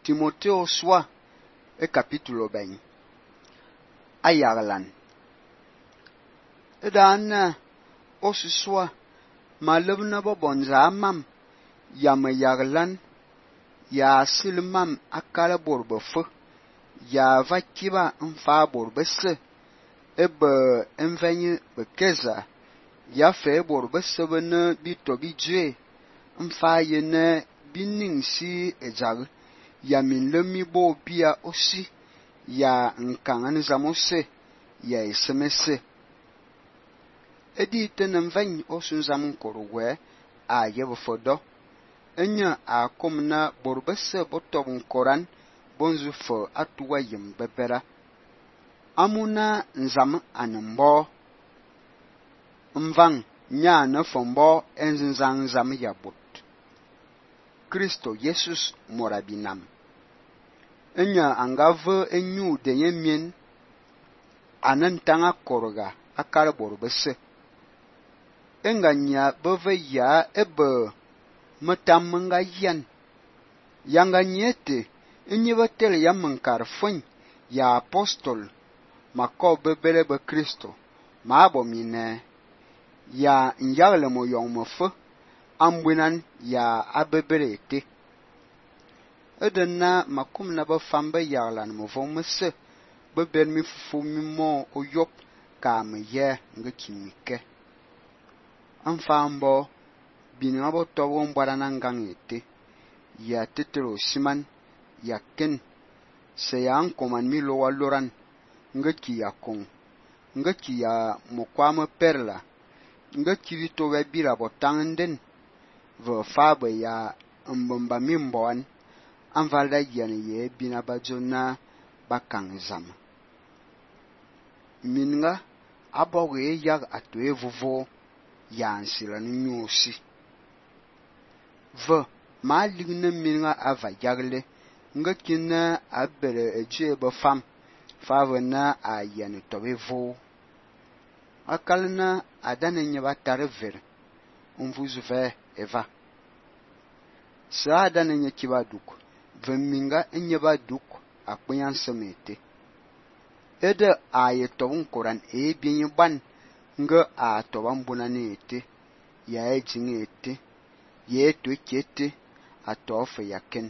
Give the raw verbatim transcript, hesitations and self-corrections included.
Timothée soit e capítulo ben ayaglan edan osuswa malebna bo bonza mam ya mayaglan ya silmam akala borbefo ya vakiba mfa borbese ebe envenye bekeza ya fe borbese bene bito bijue mfa yene bining si ejag ya minlemi bo bia osi ya nkangan zamose ya esemese edi tenem vany osun zam korwe a yebfodo enya a komna borbese botob koran bonzu fo atuwa yim bebera amuna nzam anembo mvang nya na fombo enzang zam yabut Kristo Jesus morabinam enya angave enyu denye mien anan tanga korga akar borbese enganya beve ya ebe matam nga yan yanga nyete enye batel ya mankar fun ya apostol mako bebele be Kristo ma abomine ya nyagle mo yong mo fe ambunan ya abebere te edena makum na ba fambe yaglan mo von mese bebel mi fufu mi mo oyop ka me ye nga kimike amfambo bini abo tobo mbara na ngangete ya tetero siman ya ken se ya ankoman mi lo waloran nga ki ya kon nga ki ya mokwama perla nga ki to we bira botanden ve fabe ya mbomba mi mbon anvalda yene ye bina bajona bakang zam minga aboge yag atwe vovo ya ansila nyusi ve ma ligne minga ava yagle nga kina abere eje be fam favena a yene tobe vo akalna adane nyeba tarver umvuzu ve eva sa adane nyekiba duk veminga nyeba duk akpenyan semete ede aye tobun koran e bienye ban nga a toban bunane ete ya ejinge ete ye to kete a tofe yaken